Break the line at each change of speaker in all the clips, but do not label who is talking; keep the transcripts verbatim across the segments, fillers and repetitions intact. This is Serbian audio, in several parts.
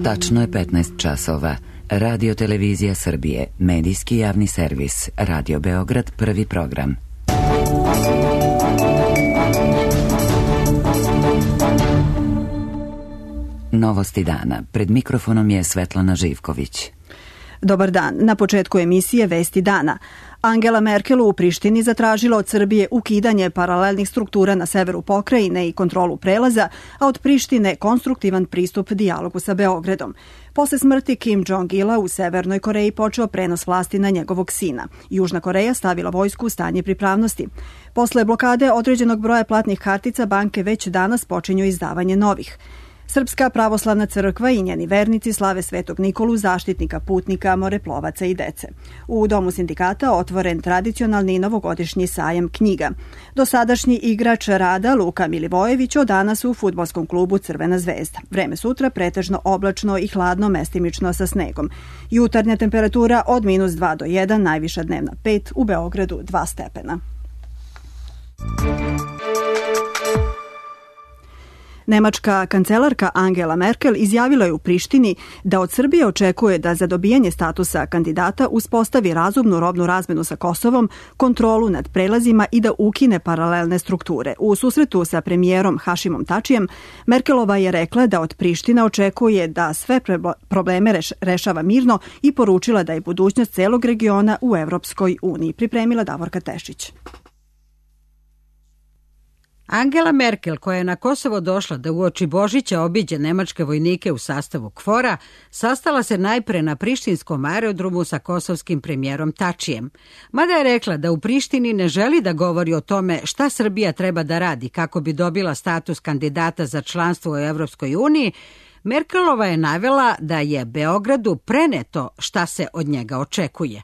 Tačno je petnaest časova. Radio Televizija Srbije, medijski javni servis, Radio Beograd, prvi program. Novosti dana. Pred mikrofonom je Svetlana Živković.
Dobar dan. Na početku emisije Vesti dana. Angela Merkel u Prištini zatražila od Srbije ukidanje paralelnih struktura na severu pokrajine i kontrolu prelaza, a od Prištine konstruktivan pristup dijalogu sa Beogradom. Posle smrti Kim Jong-ila u Severnoj Koreji počeo prenos vlasti na njegovog sina. Južna Koreja stavila vojsku u stanje pripravnosti. Posle blokade određenog broja platnih kartica, banke već danas počinju izdavanje novih. Srpska pravoslavna crkva i njeni vernici slave Svetog Nikolu, zaštitnika putnika, moreplovaca i dece. U Domu sindikata otvoren tradicionalni novogodišnji sajam knjiga. Dosadašnji igrač rada Luka Milivojević od danas u fudbalskom klubu Crvena zvezda. Vreme sutra pretežno oblačno i hladno, mestimično sa snegom. Jutarnja temperatura od minus dva do jedan, najviša dnevna pet, u Beogradu dva stepena. Nemačka kancelarka Angela Merkel izjavila je u Prištini da od Srbije očekuje da za dobijanje statusa kandidata uspostavi razumnu robnu razmenu sa Kosovom, kontrolu nad prelazima i da ukine paralelne strukture. U susretu sa premijerom Hašimom Tačijem, Merkelova je rekla da od Prištine očekuje da sve probleme rešava mirno i poručila da je budućnost celog regiona u Evropskoj uniji. Pripremila Davorka Tešić.
Angela Merkel, koja je na Kosovo došla da uoči Božića obiđe nemačke vojnike u sastavu KFOR-a, sastala se najpre na prištinskom aerodromu sa kosovskim premijerom Tačijem. Mada je rekla da u Prištini ne želi da govori o tome šta Srbija treba da radi kako bi dobila status kandidata za članstvo u Evropskoj uniji, Merkelova je navela da je Beogradu preneto šta se od njega očekuje.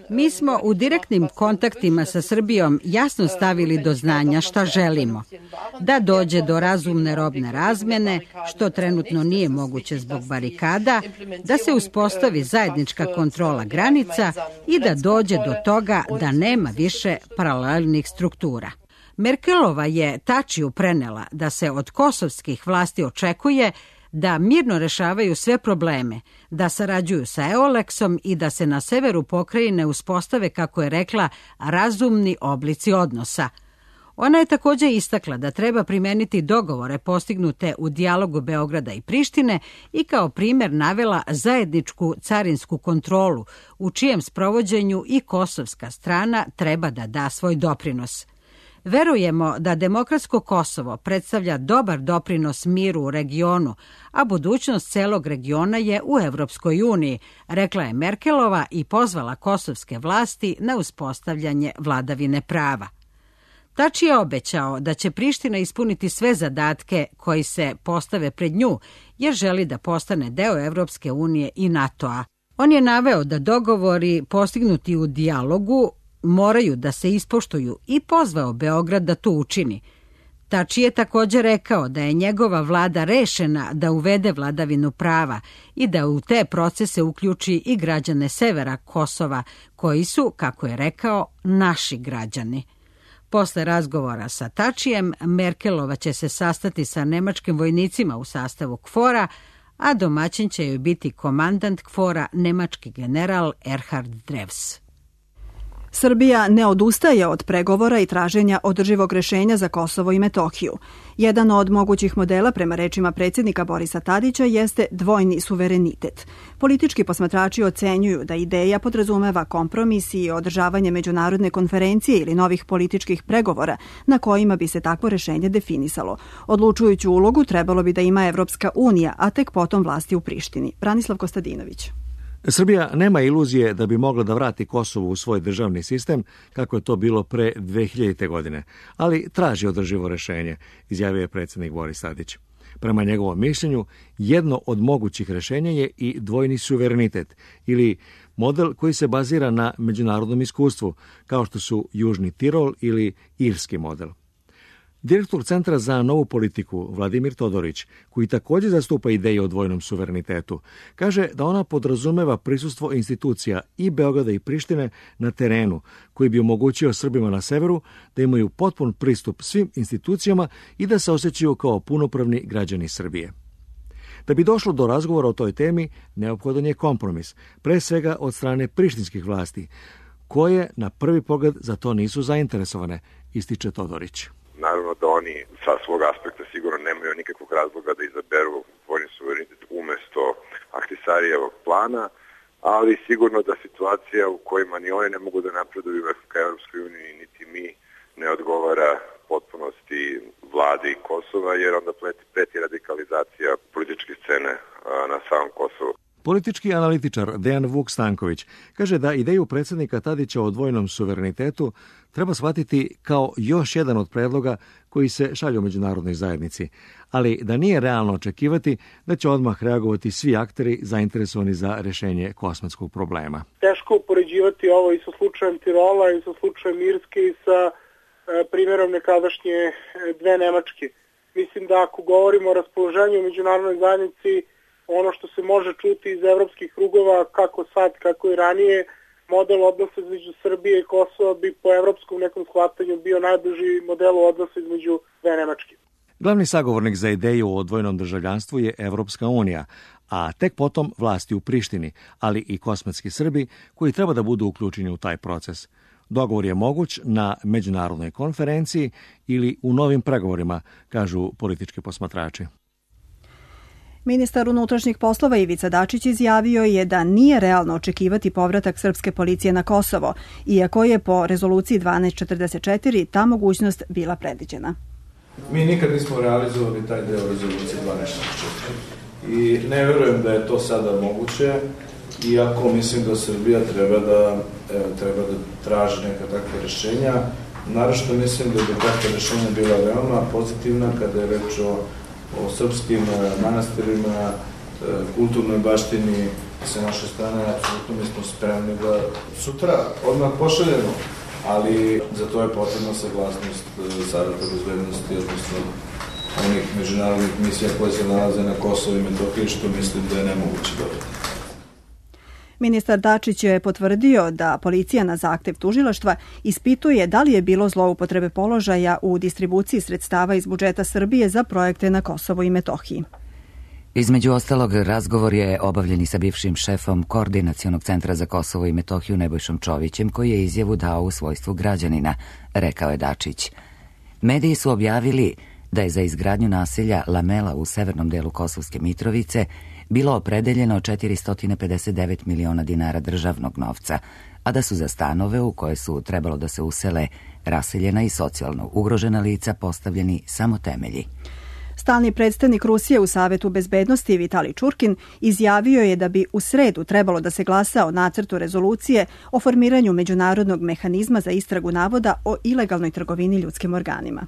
Mi smo u direktnim kontaktima sa Srbijom jasno stavili do znanja šta želimo. Da dođe do razumne robne razmjene, što trenutno nije moguće zbog barikada, da se uspostavi zajednička kontrola granica i da dođe do toga da nema više paralelnih struktura. Merkelova je Tačiju prenela da se od kosovskih vlasti očekuje da mirno rešavaju sve probleme, da sarađuju sa Eoleksom i da se na severu pokrajine uspostave, kako je rekla, razumni oblici odnosa. Ona je također istakla da treba primeniti dogovore postignute u dijalogu Beograda i Prištine i kao primjer navela zajedničku carinsku kontrolu, u čijem sprovođenju i kosovska strana treba da da svoj doprinos. Verujemo da demokratsko Kosovo predstavlja dobar doprinos miru u regionu, a budućnost celog regiona je u Evropskoj uniji, rekla je Merkelova i pozvala kosovske vlasti na uspostavljanje vladavine prava. Tači je obećao da će Priština ispuniti sve zadatke koji se postave pred nju, jer želi da postane deo Evropske unije i NATO-a. On je naveo da dogovori postignuti u dijalogu moraju da se ispoštuju i pozvao Beograd da to učini. Tači je također rekao da je njegova vlada rešena da uvede vladavinu prava i da u te procese uključi i građane severa Kosova, koji su, kako je rekao, naši građani. Posle razgovora sa Tačijem, Merkelova će se sastati sa nemačkim vojnicima u sastavu KFOR-a, a domaćin će joj biti komandant KFOR-a, nemački general Erhard Drevs.
Srbija ne odustaje od pregovora i traženja održivog rešenja za Kosovo i Metohiju. Jedan od mogućih modela, prema rečima predsjednika Borisa Tadića, jeste dvojni suverenitet. Politički posmatrači ocenjuju da ideja podrazumeva kompromis i održavanje međunarodne konferencije ili novih političkih pregovora na kojima bi se takvo rešenje definisalo. Odlučujuću ulogu trebalo bi da ima Evropska unija, a tek potom vlasti u Prištini. Branislav Kostadinović.
Srbija nema iluzije da bi mogla da vrati Kosovo u svoj državni sistem, kako je to bilo pre dve hiljadite. godine, ali traži održivo rešenje, izjavio je predsjednik Boris Tadić. Prema njegovom mišljenju, jedno od mogućih rešenja je i dvojni suverenitet, ili model koji se bazira na međunarodnom iskustvu, kao što su Južni Tirol ili Irski model. Direktor Centra za novu politiku, Vladimir Todorić, koji također zastupa ideje o dvojnom suverenitetu, kaže da ona podrazumeva prisustvo institucija i Beograda i Prištine na terenu, koji bi omogućio Srbima na severu da imaju potpun pristup svim institucijama i da se osjećaju kao punopravni građani Srbije. Da bi došlo do razgovora o toj temi, neophodan je kompromis, pre svega od strane prištinskih vlasti, koje na prvi pogled za to nisu zainteresovane, ističe Todorić.
Naravno da oni sa svog aspekta sigurno nemaju nikakvog razloga da izaberu vojni suverenitet umesto Ahtisarijevog plana, ali sigurno da situacija u kojima ni oni ne mogu da napreduju ka Evropskoj uniji, niti mi, ne odgovara potpunosti vladi Kosova, jer onda preti radikalizacija političke scene na samom Kosovu.
Politički analitičar Dejan Vuk Stanković kaže da ideju predsjednika Tadića o dvojnom suverenitetu treba shvatiti kao još jedan od predloga koji se šalju međunarodnoj zajednici, ali da nije realno očekivati da će odmah reagovati svi akteri zainteresovani za rješenje kosmetskog problema.
Teško upoređivati ovo i sa slučajem Tirola i sa slučajem Irske i sa e, primjerom nekadašnje dve Nemačke. Mislim da ako govorimo o raspoloženju u međunarodnoj zajednici, ono što se može čuti iz evropskih krugova, kako sad, kako i ranije, model odnosa između Srbije i Kosova bi po evropskom nekom shvatanju bio najbliži modelu odnosa između dve Nemačke.
Glavni sagovornik za ideju o dvojnom državljanstvu je Evropska unija, a tek potom vlasti u Prištini, ali i kosmetski Srbi koji treba da budu uključeni u taj proces. Dogovor je moguć na međunarodnoj konferenciji ili u novim pregovorima, kažu politički posmatrači.
Ministar unutrašnjih poslova Ivica Dačić izjavio je da nije realno očekivati povratak srpske policije na Kosovo, iako je po rezoluciji dvanaest četrdeset četiri ta mogućnost bila predviđena.
Mi nikad nismo realizovali taj deo rezolucije dvanaest četrdeset četiri i ne verujem da je to sada moguće, iako mislim da Srbija treba da, treba da traži neka takva rješenja. Naravno mislim da bi takva rješenja bila veoma pozitivna kada je reč o o srpskim manastirima, kulturnoj baštini sa naše strane, apsolutno mi smo spremni da sutra odmah pošaljemo, ali za to je potrebna saglasnost Saveta bezbednosti, odnosno onih međunarodnih misija koje se nalaze na Kosovu i Metohiji, što mislim da je nemoguće dobiti.
Ministar Dačić je potvrdio da policija na zahtev tužilaštva ispituje da li je bilo zloupotrebe položaja u distribuciji sredstava iz budžeta Srbije za projekte na Kosovu i Metohiji.
Između ostalog, razgovor je obavljen i sa bivšim šefom Koordinacionog centra za Kosovo i Metohiju Nebojšom Čovićem, koji je izjavu dao u svojstvu građanina, rekao je Dačić. Mediji su objavili da je za izgradnju naselja Lamela u severnom delu Kosovske Mitrovice bilo opredeljeno četiristo pedeset devet miliona dinara državnog novca, a da su za stanove u koje su trebalo da se usele raseljena i socijalno ugrožena lica postavljeni samo temelji.
Stalni predstavnik Rusije u Savetu bezbednosti Vitalij Čurkin izjavio je da bi u sredu trebalo da se glasa o nacrtu rezolucije o formiranju međunarodnog mehanizma za istragu navoda o ilegalnoj trgovini ljudskim organima.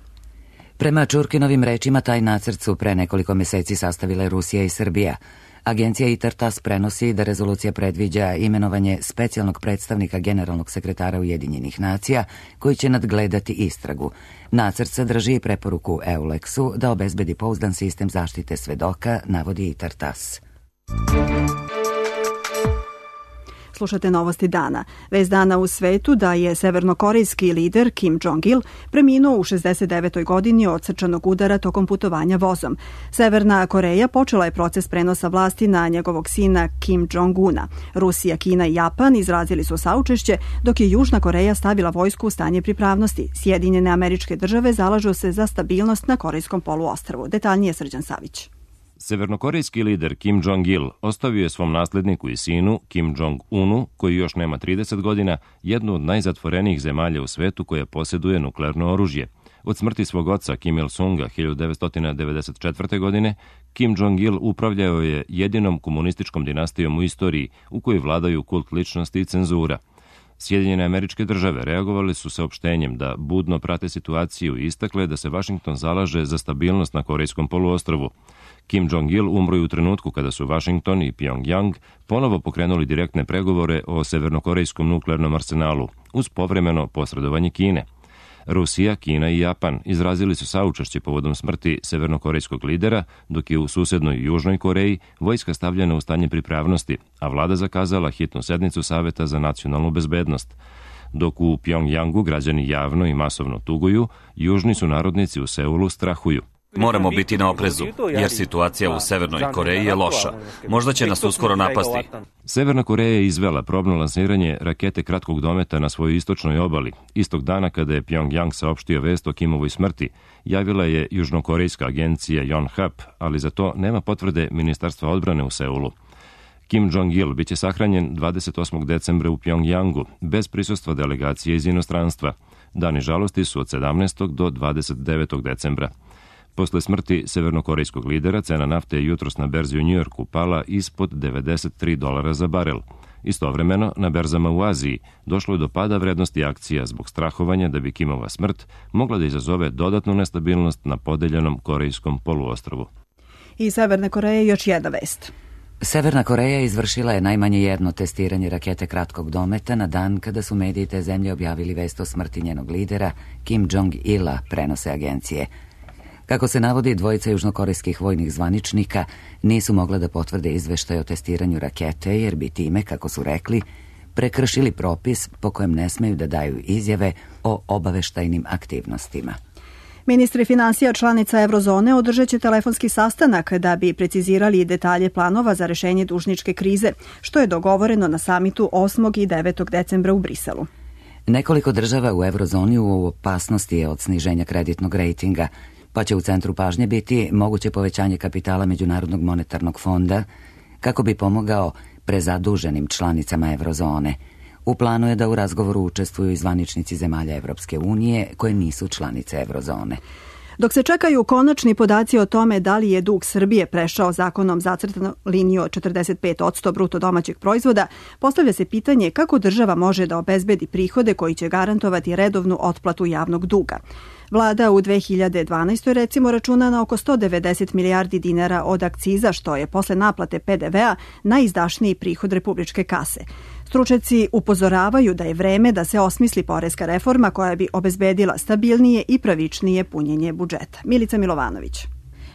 Prema Čurkinovim rečima, taj nacrt su pre nekoliko meseci sastavile Rusija i Srbija. Agencija ITAR-TASS prenosi da rezolucija predviđa imenovanje specijalnog predstavnika generalnog sekretara Ujedinjenih nacija koji će nadgledati istragu. Nacrt sadrži preporuku EULEX-u da obezbedi pouzdan sistem zaštite svedoka, navodi ITAR-TASS.
Slušate novosti dana. Vest dana u svetu da je severnokorejski lider Kim Jong-il preminuo u šezdeset devetoj godini od srčanog udara tokom putovanja vozom. Severna Koreja počela je proces prenosa vlasti na njegovog sina Kim Jong-una. Rusija, Kina i Japan izrazili su saučešće, dok je Južna Koreja stavila vojsku u stanje pripravnosti. Sjedinjene Američke Države zalažu se za stabilnost na Korejskom poluostrvu. Detaljnije Srđan Savić.
Severnokorejski lider Kim Jong-il ostavio je svom nasledniku i sinu Kim Jong-unu, koji još nema trideset godina, jednu od najzatvorenijih zemalja u svetu koja posjeduje nuklearno oružje. Od smrti svog oca Kim Il-sunga hiljadu devetsto devedeset četvrte. godine, Kim Jong-il upravljao je jedinom komunističkom dinastijom u istoriji u kojoj vladaju kult ličnosti i cenzura. Sjedinjene Američke Države reagovali su saopštenjem da budno prate situaciju i istakle da se Vašington zalaže za stabilnost na Korejskom poluostrvu. Kim Jong-il umro je u trenutku kada su Washington i Pyongyang ponovo pokrenuli direktne pregovore o severnokorejskom nuklearnom arsenalu uz povremeno posredovanje Kine. Rusija, Kina i Japan izrazili su saučešće povodom smrti severnokorejskog lidera, dok je u susednoj Južnoj Koreji vojska stavljena u stanje pripravnosti, a vlada zakazala hitnu sednicu Saveta za nacionalnu bezbednost. Dok u Pjongjangu građani javno i masovno tuguju, južni sunarodnici u Seulu strahuju.
Moramo biti na oprezu, jer situacija u Severnoj Koreji je loša. Možda će nas uskoro napasti.
Severna Koreja je izvela probno lansiranje rakete kratkog dometa na svojoj istočnoj obali. Istog dana kada je Pjongjang saopštio vest o Kimovoj smrti, javila je južnokorejska agencija Yonhap, ali za to nema potvrde Ministarstva odbrane u Seulu. Kim Jong-il biće sahranjen dvadeset osmog decembra u Pjongjangu, bez prisustva delegacije iz inostranstva. Dani žalosti su od sedamnaestog do dvadeset devetog decembra. Posle smrti severnokorejskog lidera, cena nafte je jutros na berzi u Njujorku pala ispod devedeset tri dolara za barel. Istovremeno, na berzama u Aziji došlo je do pada vrednosti akcija zbog strahovanja da bi Kimova smrt mogla da izazove dodatnu nestabilnost na podeljenom korejskom poluostrvu.
I Severne Koreje još jedna vest.
Severna Koreja izvršila je najmanje jedno testiranje rakete kratkog dometa na dan kada su mediji te zemlje objavili vest o smrti njenog lidera Kim Jong-ila, prenose agencije. Kako se navodi, dvojica južnokorejskih vojnih zvaničnika nisu mogla da potvrde izveštaj o testiranju rakete, jer bi time, kako su rekli, prekršili propis po kojem ne smeju da daju izjave o obaveštajnim aktivnostima.
Ministri finansija članica Eurozone održat će telefonski sastanak da bi precizirali detalje planova za rešenje dužničke krize, što je dogovoreno na samitu osmog i devetog decembra u Briselu.
Nekoliko država u Eurozoni u opasnosti je od sniženja kreditnog rejtinga, pa će u centru pažnje biti moguće povećanje kapitala Međunarodnog monetarnog fonda kako bi pomogao prezaduženim članicama Eurozone. U planu je da u razgovoru učestvuju i zvaničnici zemalja Evropske unije koje nisu članice Eurozone.
Dok se čekaju konačni podaci o tome da li je dug Srbije prešao zakonom zacrtanu liniju od četrdeset pet posto bruto domaćeg proizvoda, postavlja se pitanje kako država može da obezbedi prihode koji će garantovati redovnu otplatu javnog duga. Vlada u dve hiljade dvanaestoj recimo računa na oko sto devedeset milijardi dinara od akciza, što je posle naplate pe de vea najizdašniji prihod republičke kase. Stručnjaci upozoravaju da je vreme da se osmisli poreska reforma koja bi obezbedila stabilnije i pravičnije punjenje budžeta. Milica Milovanović.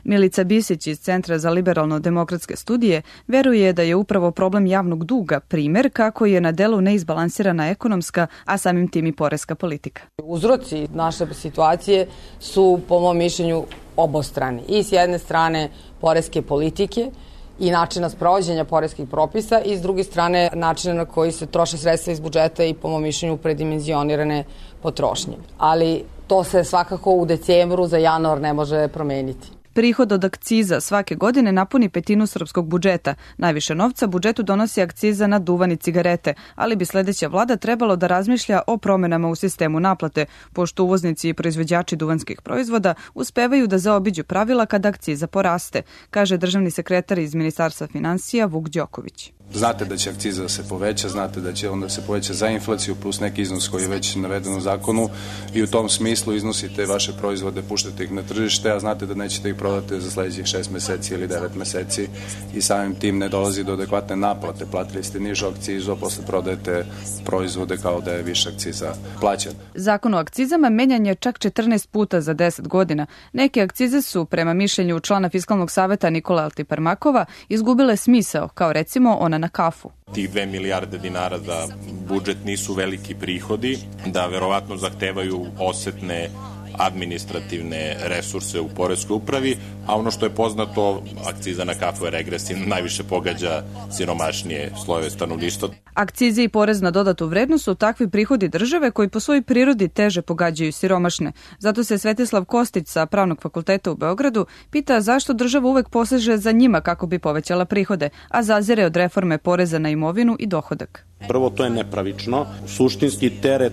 Milica Bisić iz Centra za liberalno-demokratske studije veruje da je upravo problem javnog duga primer kako je na delu neizbalansirana ekonomska, a samim tim i poreska politika.
Uzroci naše situacije su, po mom mišljenju, obostrani. I s jedne strane poreske politike i načina sprovođenja poreskih propisa i s druge strane načina na koji se troše sredstva iz budžeta i, po mom mišljenju, predimenzionirane potrošnje. Ali to se svakako u decembru za januar ne može promeniti.
Prihod od akciza svake godine napuni petinu srpskog budžeta. Najviše novca budžetu donosi akciza na duvan i cigarete, ali bi sledeća vlada trebalo da razmišlja o promenama u sistemu naplate, pošto uvoznici i proizvođači duvanskih proizvoda uspevaju da zaobiđu pravila kada akciza poraste, kaže državni sekretar iz Ministarstva finansija Vuk Đoković.
Znate da će akciza da se poveća, znate da će onda se poveća za inflaciju plus neki iznos koji je već naveden u zakonu i u tom smislu iznosite vaše proizvode, puštate ih na tržište, a znate da nećete ih prodati za sledećih šest meseci ili devet meseci i samim tim ne dolazi do adekvatne naplate. Platili ste nižu akcizu, a posle prodajete proizvode kao da je više akciza plaćen.
Zakon o akcizama menjan je čak četrnaest puta za deset godina. Neke akcize su, prema mišljenju člana Fiskalnog saveta Nikola Altiparmakova, izgubile smisao, kao recimo ona na kafu.
Tih dve milijarde dinara za budžet nisu veliki prihodi, da verovatno zahtevaju osetne administrativne resurse u poreskoj upravi, a ono što je poznato, akciza na kafu je regresivna, najviše pogađa siromašnije slojeve stanovništva.
Akcize i porez na dodatu vrednost su takvi prihodi države koji po svojoj prirodi teže pogađaju siromašne. Zato se Svetislav Kostić sa Pravnog fakulteta u Beogradu pita zašto država uvek poseže za njima kako bi povećala prihode, a zazire od reforme poreza na imovinu i dohodak.
Prvo, to je nepravično. Suštinski teret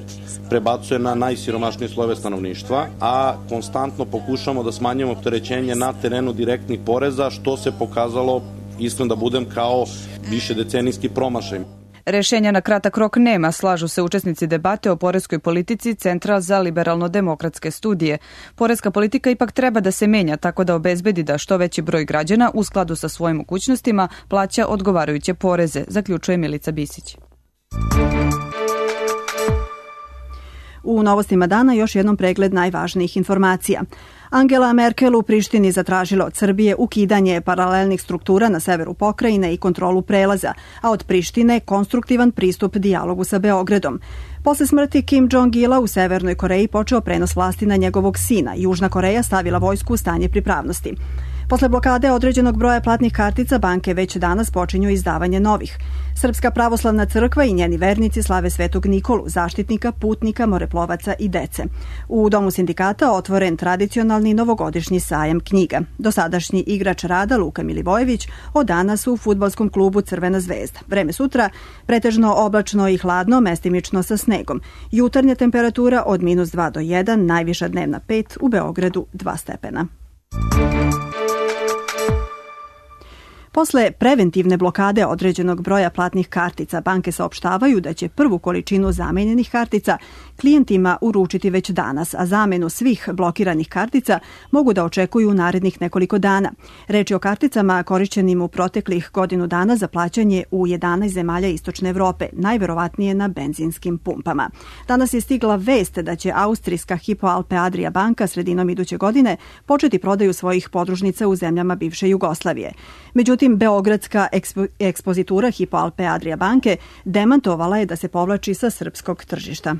prebacuje na najsiromašnije slojeve stanovništva, a konstantno pokušamo da smanjimo opterećenje na terenu direktnih poreza, što se pokazalo, iskren da budem, kao višedecenijski promašaj.
Rešenja na kratak rok nema, slažu se učesnici debate o poreskoj politici Centra za liberalno-demokratske studije. Poreska politika ipak treba da se menja tako da obezbedi da što veći broj građana u skladu sa svojim mogućnostima plaća odgovarajuće poreze, zaključuje Milica Bisić.
U novostima dana još jednom pregled najvažnijih informacija. Angela Merkel u Prištini zatražila od Srbije ukidanje paralelnih struktura na severu pokrajine i kontrolu prelaza, a od Prištine konstruktivan pristup dijalogu sa Beogradom. Posle smrti Kim Jong-ila u Severnoj Koreji počeo prenos vlasti na njegovog sina. Južna Koreja stavila vojsku u stanje pripravnosti. Posle blokade određenog broja platnih kartica, banke već danas počinju izdavanje novih. Srpska pravoslavna crkva i njeni vernici slave Svetog Nikolu, zaštitnika, putnika, moreplovaca i dece. U Domu sindikata otvoren tradicionalni novogodišnji sajam knjiga. Dosadašnji igrač rada Luka Milivojević od danas u fudbalskom klubu Crvena zvezda. Vreme sutra pretežno oblačno i hladno, mestimično sa snegom. Jutarnja temperatura od minus dva do jedan, najviša dnevna pet, u Beogradu dva stepena. Posle preventivne blokade određenog broja platnih kartica, banke saopštavaju da će prvu količinu zamenjenih kartica klijentima uručiti već danas, a zamenu svih blokiranih kartica mogu da očekuju u narednih nekoliko dana. Reč je o karticama korišćenim u proteklih godinu dana za plaćanje u jedanaest zemalja Istočne Evrope, najverovatnije na benzinskim pumpama. Danas je stigla vest da će austrijska Hypo Alpe Adria banka sredinom iduće godine početi prodaju svojih podružnica u zemljama bivše Jugoslavije. Međutim, beogradska ekspo, ekspozitura Hypo Alpe Adria banke demantovala je da se povlači sa srpskog tržišta.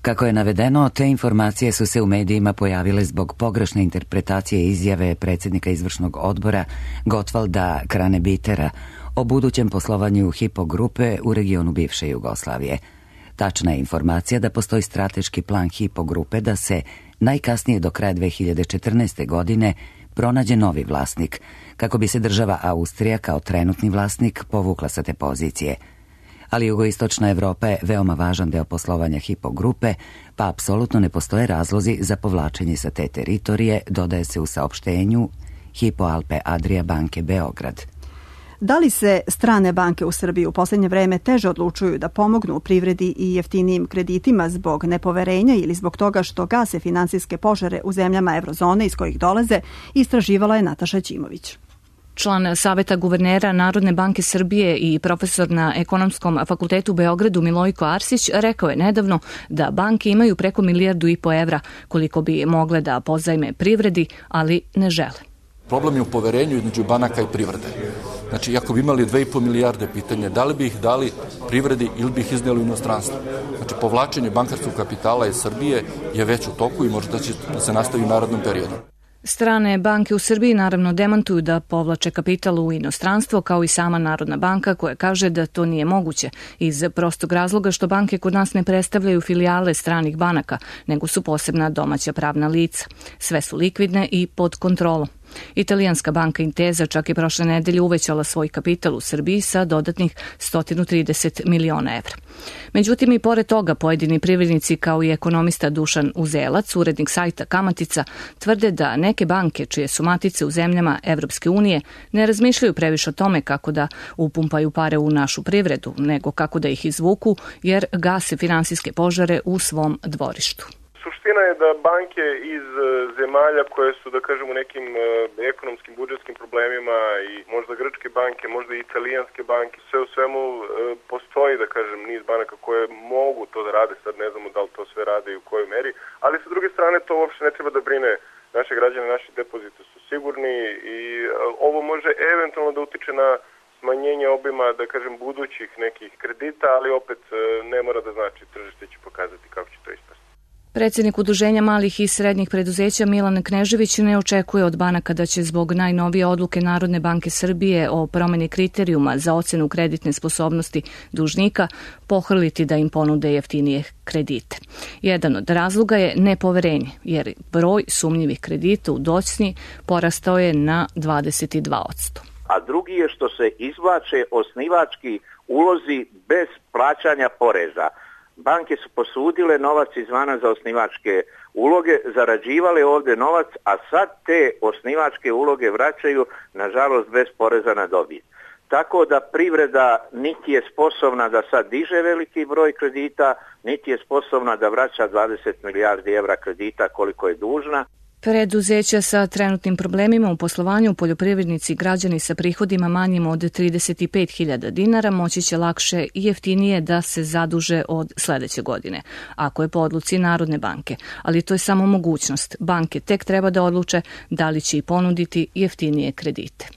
Kako je navedeno, te informacije su se u medijima pojavile zbog pogrešne interpretacije izjave predsjednika izvršnog odbora Gottwalda Kranebitera o budućem poslovanju Hypo grupe u regionu bivše Jugoslavije. Tačna je informacija da postoji strateški plan Hypo grupe da se najkasnije do kraja dve hiljade četrnaeste. godine pronađe novi vlasnik, kako bi se država Austrija kao trenutni vlasnik povukla sa te pozicije. Ali jugoistočna Evropa je veoma važan deo poslovanja Hypo grupe, pa apsolutno ne postoje razlozi za povlačenje sa te teritorije, dodaje se u saopštenju Hypo Alpe Adria banke Beograd.
Da li se strane banke u Srbiji u posljednje vreme teže odlučuju da pomognu privredi i jeftinijim kreditima zbog nepoverenja ili zbog toga što gase finansijske požare u zemljama eurozone iz kojih dolaze, istraživala je Nataša Ćimović.
Član Saveta guvernera Narodne banke Srbije i profesor na Ekonomskom fakultetu u Beogradu Milojko Arsić rekao je nedavno da banke imaju preko milijardu i po evra koliko bi mogle da pozajme privredi, ali ne žele.
Problem je u poverenju između banaka i privrede. Znači, ako bi imali dve i po milijarde, pitanje da li bi ih dali privredi ili bi ih iznijeli u inostranstvo. Znači, povlačenje bankarskog kapitala iz Srbije je već u toku i možda će da se nastavi u narednom periodu.
Strane banke u Srbiji naravno demantuju da povlače kapital u inostranstvo, kao i sama Narodna banka koja kaže da to nije moguće iz prostog razloga što banke kod nas ne predstavljaju filijale stranih banaka, nego su posebna domaća pravna lica. Sve su likvidne i pod kontrolom. Italijanska banka Intesa čak je prošle nedelje uvećala svoj kapital u Srbiji sa dodatnih sto trideset miliona evra. Međutim, i pored toga pojedini privrednici kao i ekonomista Dušan Uzelac, urednik sajta Kamatica, tvrde da neke banke čije su matice u zemljama Evropske unije ne razmišljaju previše o tome kako da upumpaju pare u našu privredu, nego kako da ih izvuku jer gase finansijske požare u svom dvorištu.
Suština je da banke iz zemalja koje su, da kažemo, nekim ekonomskim, budžetskim problemima i možda grčke banke, možda i italijanske banke, sve u svemu postoji, da kažem, niz banaka koje mogu to da rade, sad ne znamo da li to sve rade i u kojoj meri, ali sa druge strane to uopšte ne treba da brine naše građane, naši depoziti su sigurni i ovo može eventualno da utiče na smanjenje obima, da kažem, budućih nekih kredita, ali opet ne mora da znači, tržište će pokazati kako će to ispasti.
Predsjednik Udruženja malih i srednjih preduzeća Milan Knežević ne očekuje od banaka da će zbog najnovije odluke Narodne banke Srbije o promjeni kriterijuma za ocenu kreditne sposobnosti dužnika pohrliti da im ponude jeftinije kredite. Jedan od razloga je nepoverenje, jer broj sumnjivih kredita u docnji porastao je na dvadeset dva posto.
A drugi je što se izvlače osnivački ulozi bez plaćanja poreza. Banke su posudile novac izvana za osnivačke uloge, zarađivale ovdje novac, a sad te osnivačke uloge vraćaju, nažalost, bez poreza na dobit. Tako da privreda niti je sposobna da sad diže veliki broj kredita, niti je sposobna da vraća dvadeset milijardi evra kredita koliko je dužna.
Preduzeća sa trenutnim problemima u poslovanju, poljoprivrednici i građani sa prihodima manjim od trideset pet hiljada dinara moći će lakše i jeftinije da se zaduže od sledeće godine, ako je po odluci Narodne banke. Ali to je samo mogućnost. Banke tek treba da odluče da li će i ponuditi jeftinije kredite.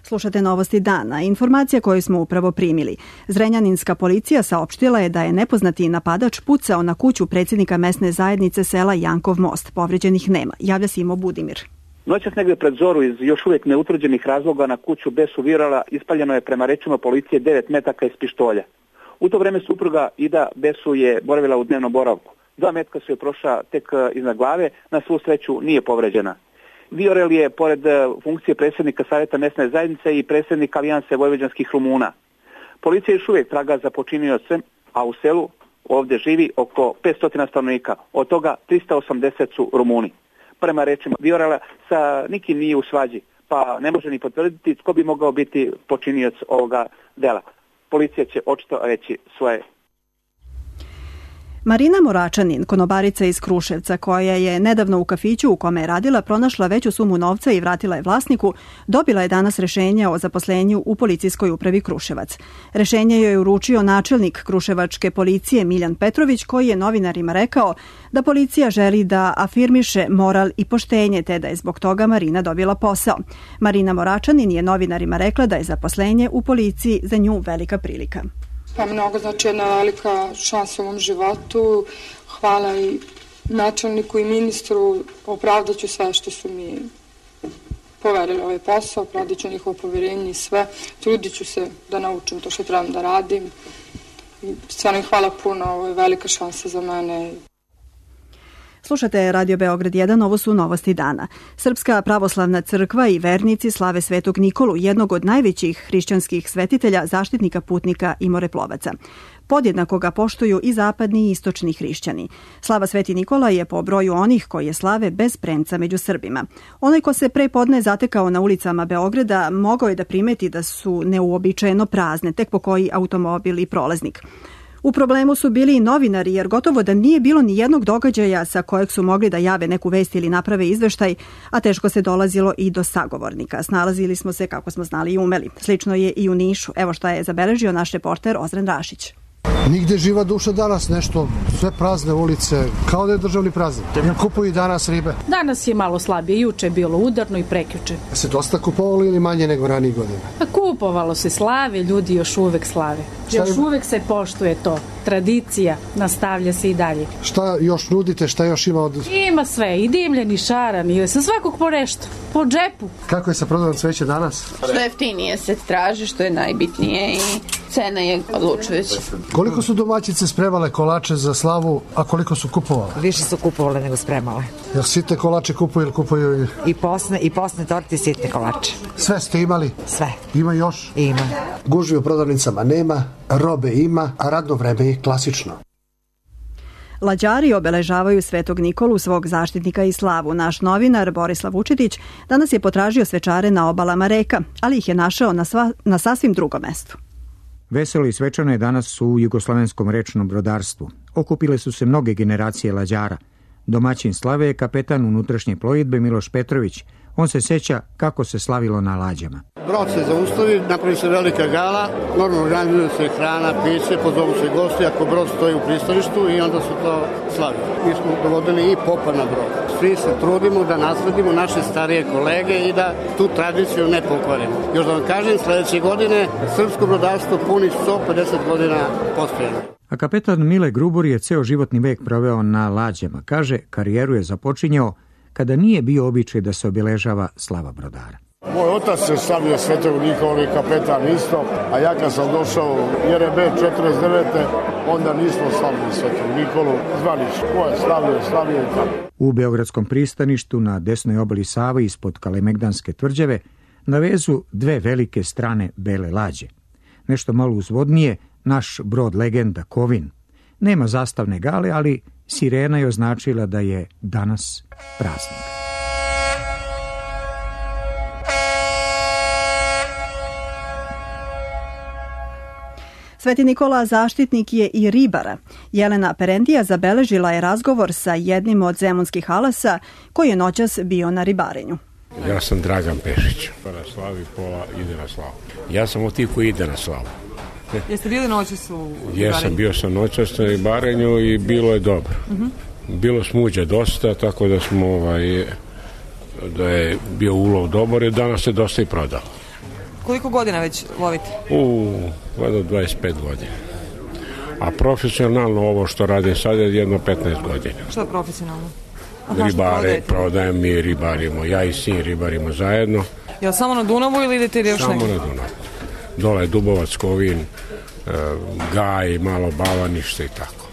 Slušate novosti dana. Informacija koju smo upravo primili. Zrenjaninska policija saopštila je da je nepoznati napadač pucao na kuću predsjednika mesne zajednice sela Jankov most. Povređenih nema. Javlja se Imo Budimir.
Noćas negde pred zoru iz još uvijek neutvrđenih razloga na kuću Besu Virala ispaljeno je prema rečima policije devet metaka iz pištolja. U to vreme supruga Ida Besu je boravila u dnevnom boravku. Dva metka su je prošla tek iznad glave, na svu sreću nije povređena. Viorel je, pored funkcije predsjednika Savjeta mesne zajednice, i predsjednik Alijanse vojvođanskih Rumuna. Policija još uvijek traga za počiniocem, a u selu ovdje živi oko petsto stanovnika, od toga trista osamdeset su Rumuni. Prema rečima Viorela, sa nikim nije u svađi, pa ne može ni potvrditi tko bi mogao biti počinioc ovoga dela. Policija će očito reći svoje.
Marina Moračanin, konobarica iz Kruševca, koja je nedavno u kafiću u kome je radila pronašla veću sumu novca i vratila je vlasniku, dobila je danas rešenje o zaposlenju u policijskoj upravi Kruševac. Rešenje joj je uručio načelnik kruševačke policije Miljan Petrović, koji je novinarima rekao da policija želi da afirmiše moral i poštenje, te da je zbog toga Marina dobila posao. Marina Moračanin je novinarima rekla da je zaposlenje u policiji za nju velika prilika.
Pa mnogo, znači jedna velika šansa u ovom životu. Hvala i načelniku i ministru, opravdat ću sve što su mi poverili ovaj posao, opravdat ću njihovo povjerenje i sve. Trudit ću se da naučim to što trebam da radim. I stvarno hvala puno, ovo je velika šansa za mene.
Slušate Radio Beograd jedan, ovo su novosti dana. Srpska pravoslavna crkva i vernici slave Svetog Nikolu, jednog od najvećih hrišćanskih svetitelja, zaštitnika putnika i moreplovaca. Podjednako ga poštuju i zapadni i istočni hrišćani. Slava Sveti Nikola je po broju onih koji je slave bez premca među Srbima. Onaj ko se pre podne zatekao na ulicama Beograda mogao je da primeti da su neuobičajeno prazne, tek po koji automobil i prolaznik. U problemu su bili i novinari, jer gotovo da nije bilo ni jednog događaja sa kojeg su mogli da jave neku vest ili naprave izveštaj, a teško se dolazilo i do sagovornika. Snalazili smo se kako smo znali i umeli. Slično je i u Nišu. Evo šta je zabeležio naš reporter Ozren Rašić.
Nigde živa duša danas, nešto, sve prazne ulice, kao da je državni praznik. Ja kupuju i danas ribe.
Danas je malo slabije, juče je bilo udarno i prekjuče.
Se dosta kupovalo ili manje nego ranijih godina?
Pa kupovalo se, slave, ljudi još uvek slave. Još uvek se poštuje to. Tradicija nastavlja se i dalje.
Šta još nudite, šta još ima od...
Ima sve, i dimljen, i šaran, i sa svakog po nešto, po džepu.
Kako je sa prodajom cveća danas?
Što jeftinije se traži, što je najbitnije i cena je odlučujuća.
Koliko su domaćice spremale kolače za slavu, a koliko su kupovale?
Više su kupovale nego spremale.
Jel sitne kolače kupuju ili kupuju? I,
I posne, i posne torte i sitne kolače.
Sve ste imali?
Sve.
Ima još?
Ima.
Gužvi u prodavnicama nema, robe ima, a radno vreme je klasično.
Lađari obeležavaju Svetog Nikolu, svog zaštitnika i slavu. Naš novinar Borislav Vučetić danas je potražio svečare na obalama reka, ali ih je našao na, sva, na sasvim drugom mestu.
Veselo i svečano je danas u jugoslovenskom rečnom brodarstvu. Okupile su se mnoge generacije lađara. Domaćin slave je kapetan unutrašnje plovidbe Miloš Petrović. On se seća kako se slavilo na lađama.
Brod se zaustavi, napravi se velika gala, normalno organizuje se hrana, piće, pozovu se gosti ako brod stoji u pristaništu i onda su to slavili. Mi smo dovodili i popa na brod. Svi se trudimo da nasledimo naše starije kolege i da tu tradiciju ne pokvarimo. Još da vam kažem, sledeće godine srpsko brodarstvo puni sto pedeset godina postojanja.
A kapetan Mile Grubor je ceo životni vek proveo na lađama. Kaže, karijeru je započinjao kada nije bio običaj da se obeležava slava brodara.
Moj otac se slavio Svetog Nikoli, kapetan isto, a ja kad sam došao u J R B četrdeset devete onda nismo slavili Svetog Nikolu, zvali su ko je slavio, slavio i tako.
U Beogradskom pristaništu na desnoj obali Save ispod Kalemegdanske tvrđave na vezu dve velike strane bele lađe. Nešto malo uzvodnije, naš brod legenda Kovin. Nema zastavne gale, ali sirena je označila da je danas praznik.
Sveti Nikola zaštitnik je i ribara. Jelena Perendija zabeležila je razgovor sa jednim od zemunskih alasa koji je noćas bio na ribarenju.
Ja sam Dragan Pešić. Pola slavi, pola ide na slavu. Ja sam od tih koji ide na slavu.
Jeste bili noćas u ribarenju?
Jesam, bio sam noćas na ribarenju i bilo je dobro. Uh-huh. Bilo smuđa dosta, tako da smo ovaj, da je bio ulov dobar i danas se dosta i prodao.
Koliko godina već lovite?
U, vada dvadeset pet godina. A profesionalno ovo što radim sad je jedno petnaest godina.
Što je profesionalno?
Ribare, prodajem mi, ribarimo. Ja i sin ribarimo zajedno.
Jel samo na Dunavu ili idete još
samo
negdje?
Samo na Dunavu. Dole je Dubovac, Kovin, Gaj, malo Bavanište i tako.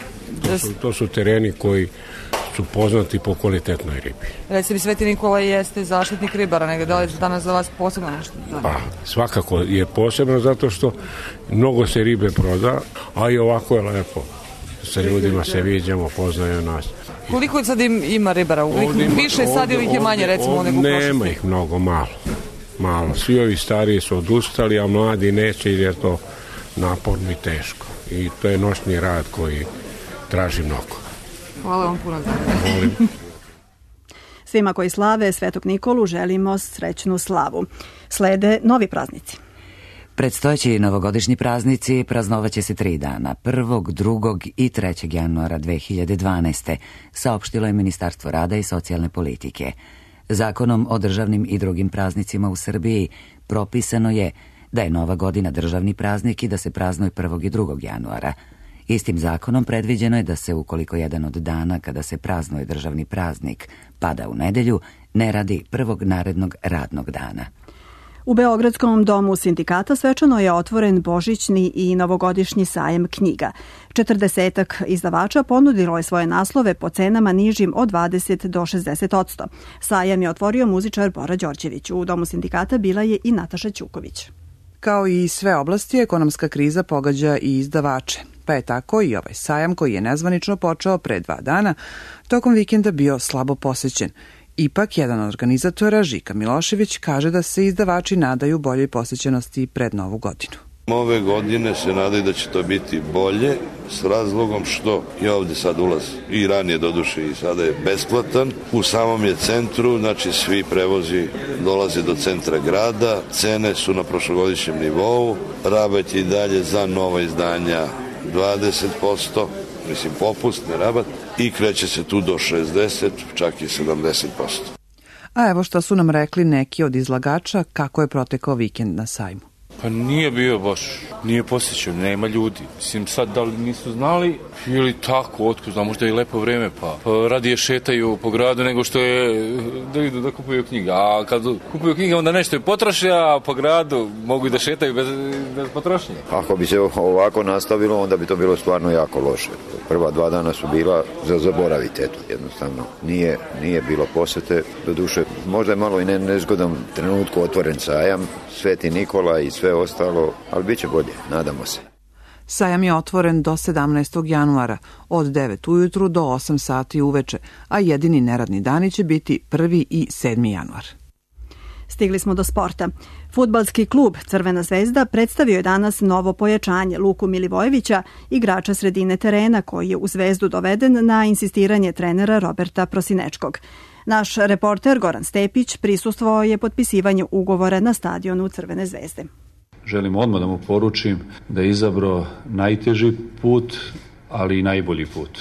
To su, to su tereni koji su poznati po kvalitetnoj ribi.
Reci mi, Sveti Nikola jeste zaštitnik ribara, nego da li je danas za vas posebno nešto?
Pa, svakako je posebno zato što mnogo se ribe proda, a i ovako je lepo. Sa ljudima se viđamo, poznaju nas.
Koliko sad ima ribara? Više sad ili ih je manje, recimo, nego u prošlosti?
Nema ih mnogo, malo. Malo. Svi ovi stariji su odustali, a mladi neće jer je to naporno i teško. I to je noćni rad koji traži mnogo.
Hvala vam puno.
Svima koji slave Svetog Nikolu želimo srećnu slavu. Slede novi praznici.
Predstojeći novogodišnji praznici praznovaće se tri dana, prvog, drugog i trećeg januara dve hiljade dvanaeste, saopštilo je Ministarstvo rada i socijalne politike. Zakonom o državnim i drugim praznicima u Srbiji propisano je da je Nova godina državni praznik i da se praznuje prvog i drugog januara. Istim zakonom predviđeno je da se, ukoliko jedan od dana kada se praznuje državni praznik pada u nedelju, ne radi prvog narednog radnog dana.
U Beogradskom domu sindikata svečano je otvoren božićni i novogodišnji sajam knjiga. Četrdesetak izdavača ponudilo je svoje naslove po cenama nižim od dvadeset do šezdeset odsto. Sajam je otvorio muzičar Bora Đorđević. U domu sindikata bila je i Nataša Ćuković.
Kao i sve oblasti, ekonomska kriza pogađa i izdavače. Pa je tako i ovaj sajam koji je nezvanično počeo pre dva dana, tokom vikenda bio slabo posećen. Ipak, jedan od organizatora, Žika Milošević, kaže da se izdavači nadaju boljoj posećenosti pred Novu godinu.
Ove godine se nadaju da će to biti bolje s razlogom što je ovde sad ulaz i ranije doduše i sada je besplatan. U samom je centru, znači svi prevozi dolaze do centra grada, cene su na prošlogodišnjem nivou, rabat je i dalje za nova izdanja dvadeset posto, mislim popustni rabat, i kreće se tu do šezdeset, čak i sedamdeset posto.
A evo što su nam rekli neki od izlagača kako je protekao vikend na sajmu.
Pa nije bio baš, nije posjećan, nema ljudi. Mislim, sad da li nisu znali ili tako, otko znam, možda je i lepo vreme, pa, pa radije šetaju po gradu nego što je da idu da kupuju knjige. A kad kupuju knjige onda nešto je potroše, a po gradu mogu i da šetaju bez, bez potrošnje.
Ako bi se ovako nastavilo, onda bi to bilo stvarno jako loše. Prva dva dana su bila za zaboravite, eto, jednostavno. Nije, nije bilo posete, doduše, možda je malo i ne, nezgodom trenutku otvoren sajam, Sveti Nikola i sve ostalo, ali bit će bolje, nadamo se.
Sajam je otvoren do sedamnaestog januara, od devet ujutru do osam sati uveče, a jedini neradni dani će biti prvi i sedmi januar.
Stigli smo do sporta. Fudbalski klub Crvena zvezda predstavio je danas novo pojačanje Luku Milivojevića, igrača sredine terena koji je u Zvezdu doveden na insistiranje trenera Roberta Prosinečkog. Naš reporter Goran Stepić prisustvovao je potpisivanju ugovora na stadionu Crvene zvezde.
Želim odmah da mu poručim da je izabrao najteži put, ali i najbolji put.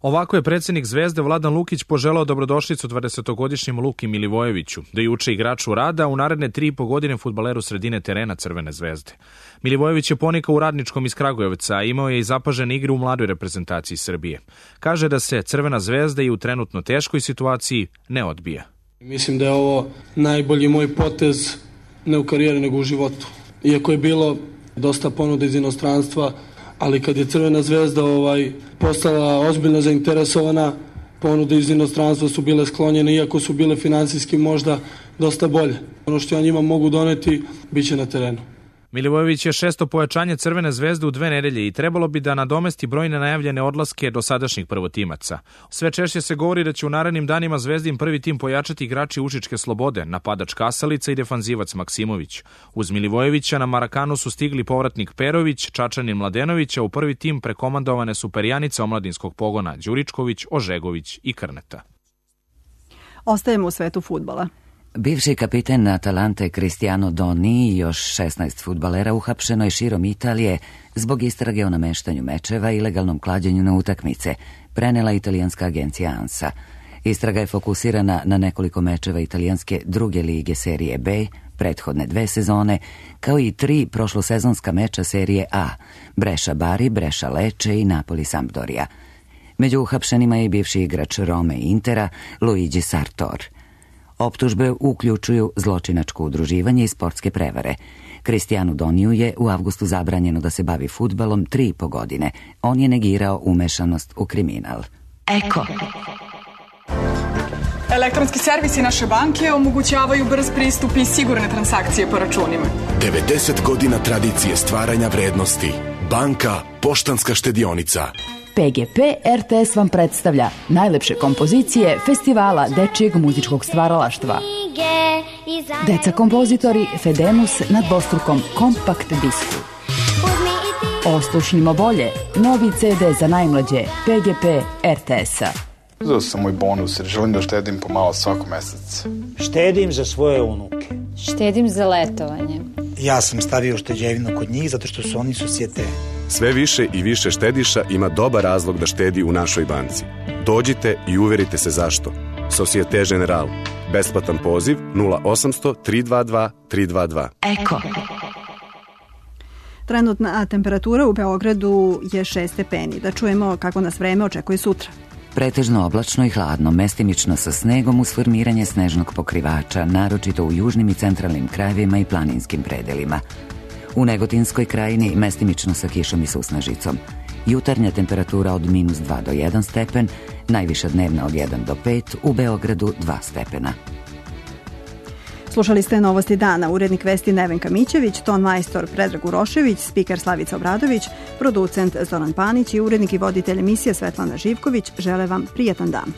Ovako je predsjednik Zvezde Vladan Lukić poželao dobrodošlicu dvadesetogodišnjem Luki Milivojeviću, da je uče igraču rada u naredne tri i po godine fudbaleru sredine terena Crvene zvezde. Milivojević je ponikao u Radničkom iz Kragujevca, a imao je i zapažene igre u mladoj reprezentaciji Srbije. Kaže da se Crvena zvezda i u trenutno teškoj situaciji ne odbija.
Mislim da je ovo najbolji moj potez ne u karijeri nego u životu. Iako je bilo dosta ponuda iz inostranstva, ali kad je Crvena zvezda ovaj, postala ozbiljno zainteresovana, ponude iz inostranstva su bile sklonjene, iako su bile finansijski možda dosta bolje. Ono što ja njima mogu doneti, bit će na terenu.
Milivojević je šesto pojačanje Crvene zvezde u dve nedelje i trebalo bi da nadomesti brojne najavljene odlaske dosadašnjih prvotimaca. Sve češće se govori da će u narednim danima Zvezdin prvi tim pojačati igrači Užičke Slobode, napadač Kasalica i defanzivac Maksimović. Uz Milivojevića na Marakanu su stigli povratnik Perović, Čačanin Mladenović, a u prvi tim prekomandovane su perjanica omladinskog pogona Đuričković, Ožegović i Krneta.
Ostajemo u svetu fudbala.
Bivši kapiten Atalante Cristiano Doni i još šesnaest fudbalera uhapšeno je širom Italije zbog istrage o nameštanju mečeva i ilegalnom klađenju na utakmice, prenela italijanska agencija ANSA. Istraga je fokusirana na nekoliko mečeva italijanske druge lige serije B, prethodne dve sezone, kao i tri prošlosezonska meča serije A, Brescia Bari, Brescia Lecce i Napoli Sampdoria. Među uhapšenima je i bivši igrač Rome i Intera, Luigi Sartor. Optužbe uključuju zločinačko udruživanje i sportske prevare. Cristianu Doniju je u avgustu zabranjeno da se bavi fudbalom tri i po godine. On je negirao umešanost u kriminal.
Eko. Elektronski servisi naše banke omogućavaju brz pristup i sigurne transakcije po računima.
devedeset godina tradicije stvaranja vrednosti. Banka Poštanska štedionica.
P G P R T S vam predstavlja najlepše kompozicije Festivala dečijeg muzičkog stvaralaštva. Deca kompozitori Fedemus na dvostrukom kompakt disku. Oslušnimo bolje, novi C D za najmlađe P G P R T S-a.
Uzeo sam moj bonus jer želim da štedim pomalo svako mesec.
Štedim za svoje unuke.
Štedim za letovanje.
Ja sam stavio šteđevinu kod njih zato što su oni susjete.
Sve više i više štediša ima dobar razlog da štedi u našoj banci. Dođite i uverite se zašto. Societe General. Besplatan poziv nula osamsto tri dva dva tri dva dva.
Eko.
Trenutna temperatura u Beogradu je šest stepeni. Da čujemo kako nas vreme očekuje sutra.
Pretežno oblačno i hladno, mestimično sa snegom uz formiranje snežnog pokrivača, naročito u južnim i centralnim krajevima i planinskim predelima. U Negotinskoj krajini mestimično sa kišom i susnežicom. Jutarnja temperatura od minus dva do jedan stepen, najviša dnevna od jedan do pet, u Beogradu dva stepena.
Slušali ste Novosti dana, urednik vesti Nevenka Mićević, ton majstor Predrag Urošević, spiker Slavica Obradović, producent Zoran Panić i urednik i voditelj emisije Svetlana Živković žele vam prijatan dan.